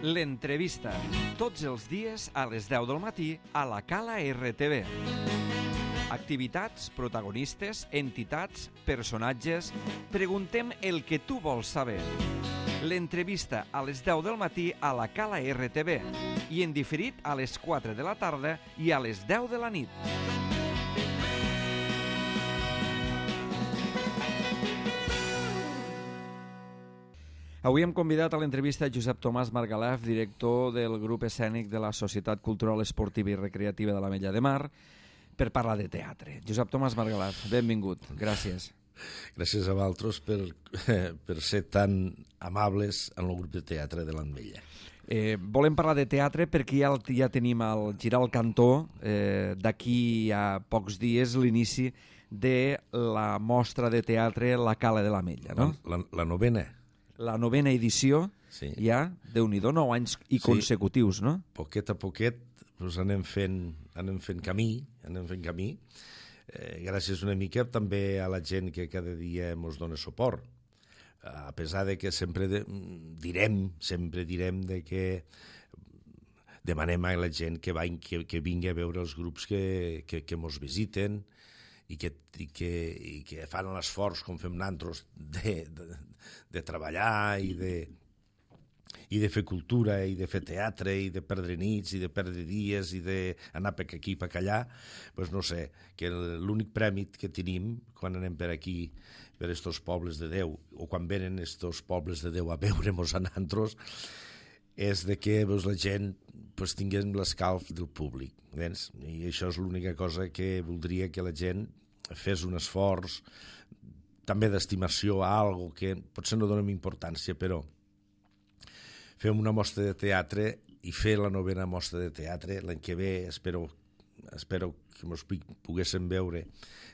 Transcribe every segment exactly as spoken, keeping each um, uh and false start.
L'entrevista, tots els dies a les deu del matí a la Cala R T V. Activitats, protagonistes, entitats, personatges... Preguntem el que tu vols saber. L'entrevista a les deu del matí a la Cala R T V i en diferit a les quatre de la tarda i a les deu de la nit. Avui hem convidat a l'entrevista Josep Tomàs Margalef, director del grup escènic de la Societat Cultural Esportiva i Recreativa de l'Ametlla de Mar, per parlar de teatre. Josep Tomàs Margalef, benvingut. Gràcies. Gràcies a vosaltres per, per ser tan amables en el grup de teatre de l'Ametlla. Eh, volem parlar de teatre perquè ja, ja tenim al girar el cantó, eh, d'aquí a pocs dies, l'inici de la mostra de teatre La Cala de l'Ametlla, no? La, la, la novena. La novena edició, sí. Ja, Déu-n'hi-do, nou anys i consecutius, sí. No? Poquet a poquet doncs anem, fent, anem fent camí, anem fent camí, eh, gràcies una mica també a la gent que cada dia ens dona suport, a pesar de que sempre de, direm, sempre direm de que demanem a la gent que, va, que, que vingui a veure els grups que, que, que mos visiten, i que, i que, i que fan l'esforç, com fem nosaltres, de, de, de treballar i de, i de fer cultura, i de fer teatre, i de perdre nits, i de perdre dies, i d'anar per aquí i per allà. Doncs no sé, que l'únic prèmit que tenim quan anem per aquí, per estos pobles de Déu, o quan venen estos pobles de Déu a veure-mos a nosaltres, és de que doncs, la gent doncs, tingués l'escalf del públic. Vens? I això és l'única cosa que voldria que la gent fes un esforç, també d'estimació a algo que potser no donem importància, però fem una mostra de teatre i fer la novena mostra de teatre l'any que ve. Espero, espero que ens poguéssim veure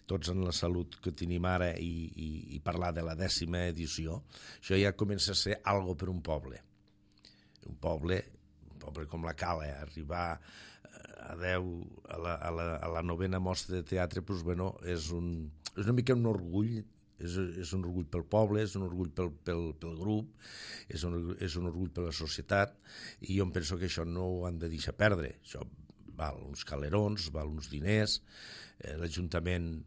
tots en la salut que tenim ara i, i, i parlar de la dècima edició. Això ja comença a ser algo per un poble. Un poble, un poble com la Cala, arribar a deu, a la, a la, a la novena mostra de teatre, doncs, bueno, és, un, és una mica un orgull, és, és un orgull pel poble, és un orgull pel, pel, pel grup, és un, és un orgull per la societat, i jo em penso que això no ho han de deixar perdre. Això val uns calerons, val uns diners, eh, l'Ajuntament,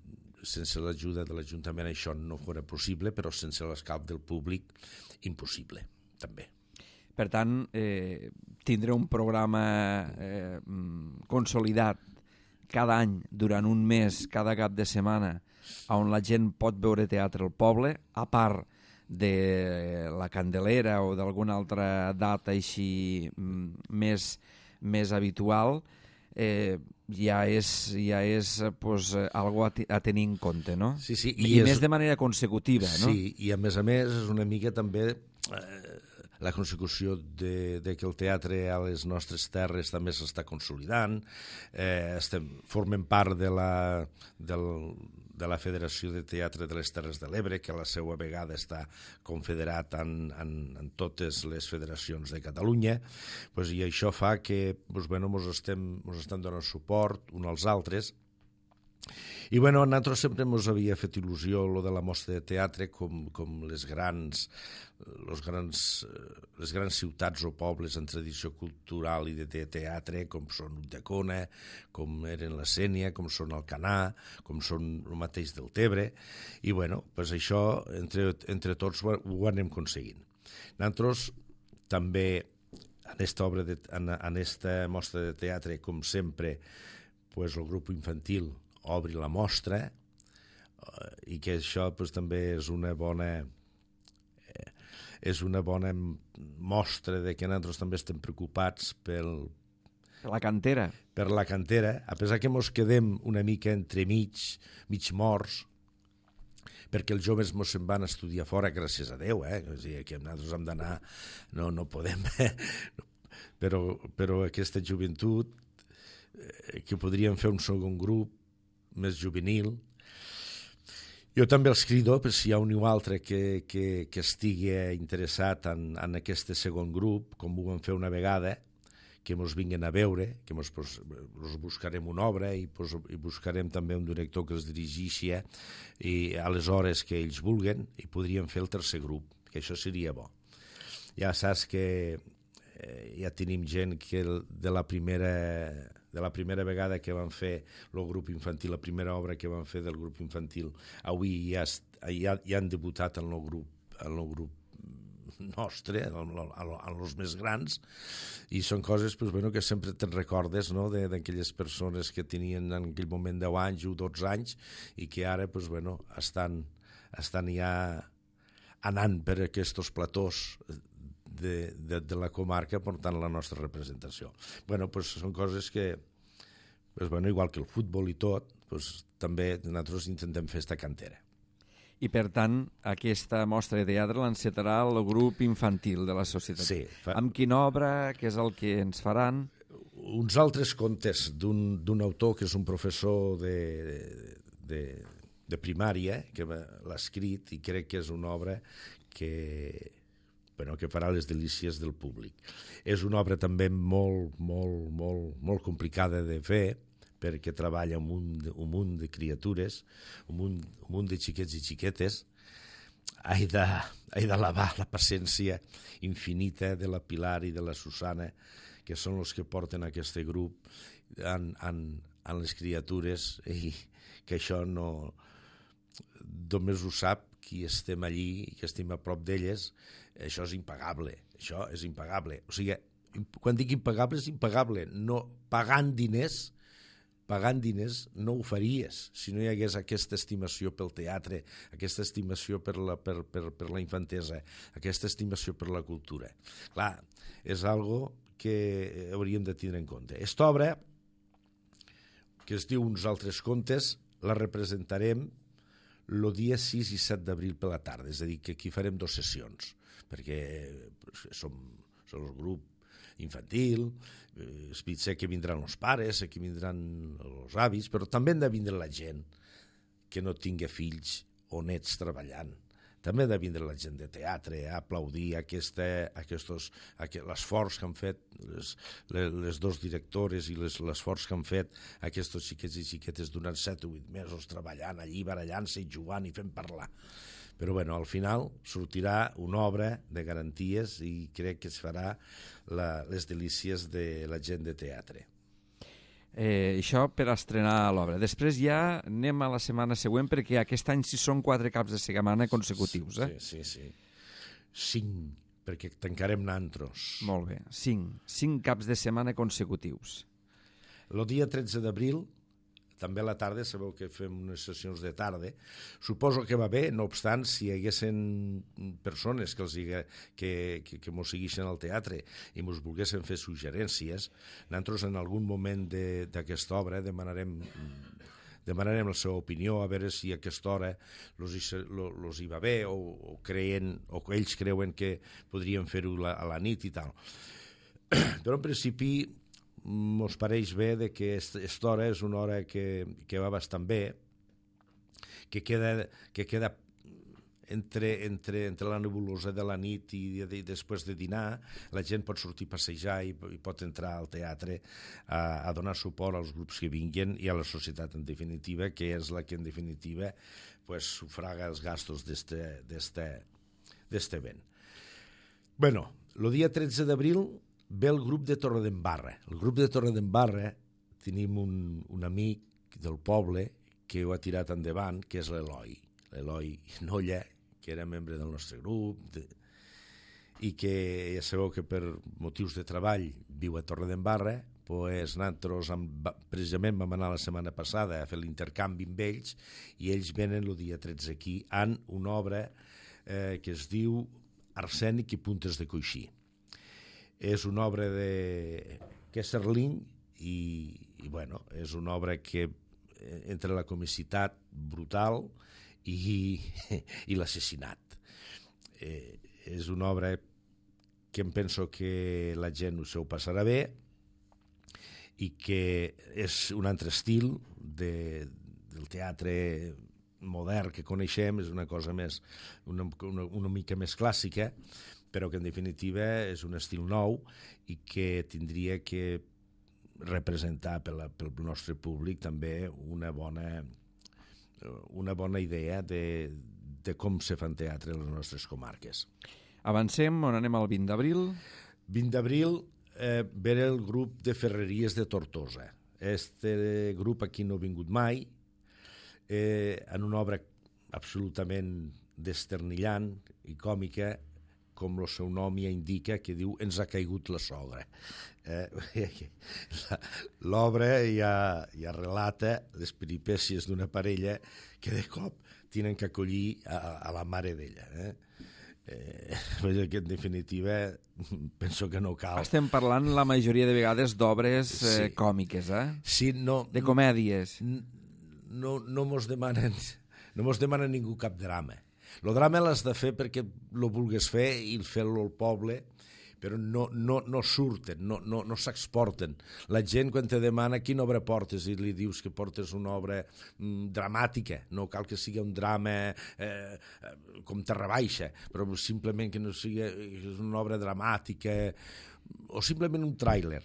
sense l'ajuda de l'Ajuntament això no fora possible, però sense l'escalf del públic, impossible, també. Per tant, eh, tindré un programa eh, consolidat cada any, durant un mes, cada cap de setmana, on la gent pot veure teatre al poble, a part de la Candelera o d'alguna altra data així més, més habitual, eh, ja és, ja és pues, algo a, a tenir en compte, no? Sí, sí, i I és... més de manera consecutiva, no? Sí, i a més a més és una mica també... Eh, la consecució de, de que el teatre a les nostres terres també s'està consolidant, eh, estem, formem part de la, del, de la Federació de Teatre de les Terres de l'Ebre, que a la seva vegada està confederat en, en, en totes les federacions de Catalunya, pues, i això fa que pues, bueno, mos estem, mos estem donant suport uns als altres. I bueno, a nosaltres sempre ens havia fet il·lusió lo de la mostra de teatre com, com les grans los grans, les grans ciutats o pobles en tradició cultural i de teatre, com són Ulldecona, com eren la Sénia, com són Alcanar, com són el mateix del Tebre, i bueno, pues això entre, entre tots ho, ho anem aconseguint. Nosaltres també en esta, obra de, en, en esta mostra de teatre, com sempre, pues, el grup infantil obri la mostra, eh, i que això pues, també és una bona eh, és una bona mostra de que nosaltres també estem preocupats pel, per la cantera. Per la cantera, a pesar que mos quedem una mica entre mig, mig morts, perquè els joves mos se'n van estudiar fora, gràcies a Déu, eh? O sigui, que nosaltres hem d'anar, no, no podem, eh? però, però aquesta joventut, eh, que podríem fer un segon grup, més juvenil. Jo també els crido, per si hi ha un o altre que, que, que estigui interessat en, en aquest segon grup, com ho vam fer una vegada, que ens vinguin a veure, que ens pues, buscarem una obra i, pues, i buscarem també un director que els dirigeixi i a les hores que ells vulguen, i podríem fer el tercer grup, que això seria bo. Ja saps que eh, ja tenim gent que de la primera de la primera vegada que van fer el grup infantil, la primera obra que van fer del grup infantil, avui ja, ja, ja han debutat en el grup, en el grup nostre, en els més grans, i són coses pues, bueno, que sempre te'n recordes, no? D'aquelles persones que tenien en aquell moment deu anys o dotze anys i que ara pues, bueno, estan, estan ja anant per aquests platós de, de, de la comarca portant la nostra representació. Bueno, pues, són coses que, pues, bueno, igual que el futbol i tot, pues, també nosaltres intentem fer esta cantera. I, per tant, aquesta mostra de teatre l'encetarà el grup infantil de la societat. Sí. Fa... Amb quina obra, què és el que ens faran? Uns altres contes d'un autor que és un professor de, de, de primària, que l'ha escrit, i crec que és una obra que, bueno, que farà les delícies del públic. És una obra també molt, molt, molt, molt complicada de fer, perquè treballa un munt, de, un munt de criatures, un munt, un munt de xiquets i xiquetes. He de, he d'alabar la paciència infinita de la Pilar i de la Susana, que són els que porten aquest grup en, en, en les criatures, i que això no... Només ho sap qui estem allí i que estem a prop d'elles. Això és impagable, això és impagable. O sigui, quan dic impagable, és impagable. No, pagant diners, pagant diners no ho faries si no hi hagués aquesta estimació pel teatre, aquesta estimació per la, per, per, per la infantesa, aquesta estimació per la cultura. Clar, és algo que hauríem de tindre en compte. Esta obra, que es diu Uns altres contes, la representarem el dia sis i set d'abril per la tarda, és a dir, que aquí farem dues sessions, perquè som, som el grup infantil, és potser que vindran els pares, que vindran els avis, però també han de vindre la gent que no tingui fills o nets treballant. També ha de vindre la gent de teatre a aplaudir aquesta, aquestos, l'esforç que han fet les, les, les dos directores i l'esforç que han fet aquests xiquets i xiquetes durant set o vuit mesos treballant allí, barallant-se i jugant i fent parlar. Però bueno, al final sortirà una obra de garanties i crec que es farà la, les delícies de la gent de teatre. Eh, això per estrenar l'obra. Després ja anem a la setmana següent, perquè aquest any sí són quatre caps de setmana consecutius. Eh? Sí, sí, sí. Cinc, perquè tancarem nantros. Molt bé, cinc. Cinc caps de setmana consecutius. El dia tretze d'abril, també a la tarda, sabeu que fem unes sessions de tarda, suposo que va bé, no obstant, si hi haguessin persones que, els diga, que, que, que mos segueixen al teatre i mos volguessin fer suggerències, nosaltres en algun moment d'aquesta obra demanarem, demanarem la seva opinió, a veure si a aquesta hora los hi, los hi va bé o, o, creien, o ells creuen que podrien fer-ho a la nit i tal. Però en principi mos pareix bé de que aquesta hora és una hora que, que va bastant bé, que queda, que queda entre, entre, entre la nebulosa de la nit i, i després de dinar, la gent pot sortir a passejar i, i pot entrar al teatre a, a donar suport als grups que vinguin i a la societat en definitiva, que és la que en definitiva pues, sufraga els gastos d'este event. Bueno, el dia tretze d'abril ve el grup de Torredembarra. El grup de Torredembarra tenim un, un amic del poble que ho ha tirat endavant, que és l'Eloi. L'Eloi Nolla, que era membre del nostre grup, de, i que ja sabeu que per motius de treball viu a Torredembarra, pues nosaltres amb, precisament vam anar la setmana passada a fer l'intercanvi amb ells i ells venen el dia tretze aquí amb una obra eh, que es diu Arsènic i puntes de coixí. És una obra de Kesserling i, i bueno, és una obra que entre la comicitat brutal i, i l'assassinat. Eh, és una obra que em penso que la gent se ho passarà bé i que és un altre estil de, del teatre modern que coneixem, és una cosa més, una, una, una mica més clàssica, però que en definitiva és un estil nou i que tindria que representar pel, pel nostre públic també una bona, una bona idea de, de com se fan teatre a les nostres comarques. Avancem, on anem el vint d'abril? vint d'abril eh, ve el grup de Ferreries de Tortosa. Este grup aquí no ha vingut mai, eh, en una obra absolutament desternillant i còmica, com el seu nom ja indica, que diu Ens ha caigut la sogra. Eh, L'obra ja, ja relata les peripècies d'una parella que de cop tenen que acollir a, a la mare d'ella. Eh? Eh, que en definitiva penso que no cal. Estem parlant la majoria de vegades d'obres eh, Sí. còmiques, eh? Sí, no, De comèdies. no, no mos demanen no mos demana ningú cap drama. El drama l'has de fer perquè lo vulgues fer i fer-lo al poble, però no, no, no surten, no, no, no s'exporten. La gent quan te demana quina obra portes i li dius que portes una obra mm, dramàtica, no cal que sigui un drama eh, com Terra Baixa, però simplement que no sigui una obra dramàtica o simplement un tràiler.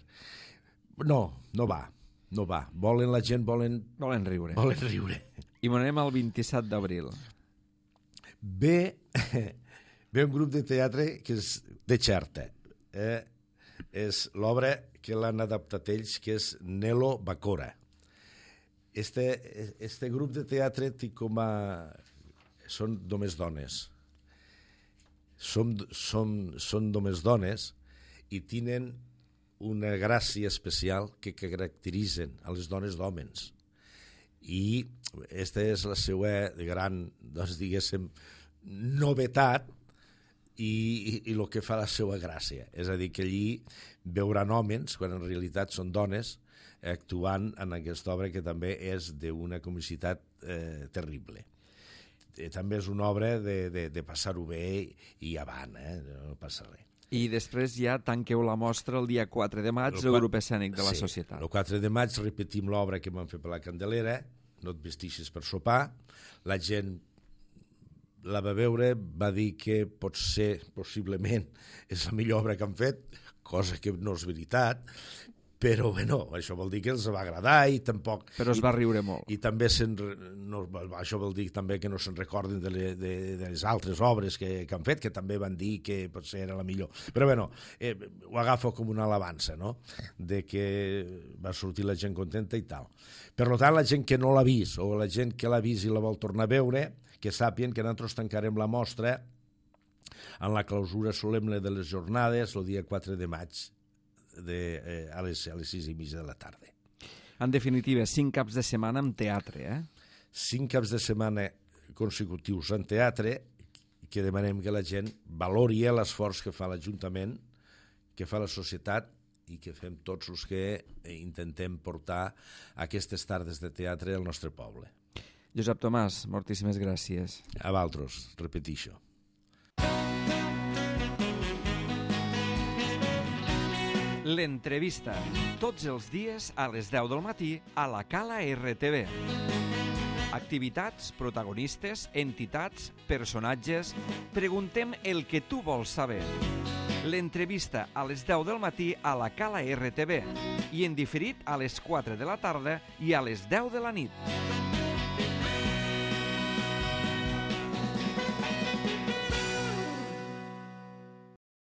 No, no va, no va. Volen la gent, volen, Volen riure. volen riure. I m'ho anem al vint-i-set d'abril. Ve, ve un grup de teatre que és de Xerta. Eh? És l'obra que l'han adaptat ells, que és Nelo Bacora. Este, este grup de teatre té com a... són només dones. Som, som, són només dones i tenen una gràcia especial que caracteritzen a les dones d'hòmens. I aquesta és la seva gran, doncs, diguéssim, novetat i, i, i el que fa la seva gràcia. És a dir, que allí veuran homes, quan en realitat són dones, actuant en aquesta obra que també és d'una comicitat eh, terrible. Eh, també és una obra de, de, de passar-ho bé i avant, eh? No passa res. I després ja tanqueu la mostra el dia quatre de maig El al qua- grup escènic de la sí, societat. El quatre de maig repetim l'obra que vam fer per la Candelera, No et vestixis per sopar. La gent la va veure, va dir que potser, possiblement, és la millor obra que han fet, cosa que no és veritat, però bueno, això vol dir que els va agradar i tampoc... Però es va riure molt. I també se'n, no, això vol dir també que no se'n recorden de, le, de, de les altres obres que, que han fet, que també van dir que potser era la millor. Però bueno, eh, ho agafo com una alabança, no?, de que va sortir la gent contenta i tal. Per tant, la gent que no l'ha vist o la gent que l'ha vist i la vol tornar a veure, que sàpien que nosaltres tancarem la mostra en la clausura solemne de les jornades el dia quatre de maig, De, eh, a, les, a les sis i mitja de la tarda. En definitiva, cinc caps de setmana amb teatre, eh? Cinc caps de setmana consecutius en teatre, que demanem que la gent valori l'esforç que fa l'Ajuntament, que fa la societat i que fem tots els que intentem portar aquestes tardes de teatre al nostre poble. Josep Tomàs, moltíssimes gràcies. A vosaltres, repetixo. L'entrevista, tots els dies a les deu del matí a la Cala R T V. Activitats, protagonistes, entitats, personatges... Preguntem el que tu vols saber. L'entrevista a les deu del matí a la Cala R T V i en diferit a les quatre de la tarda i a les deu de la nit.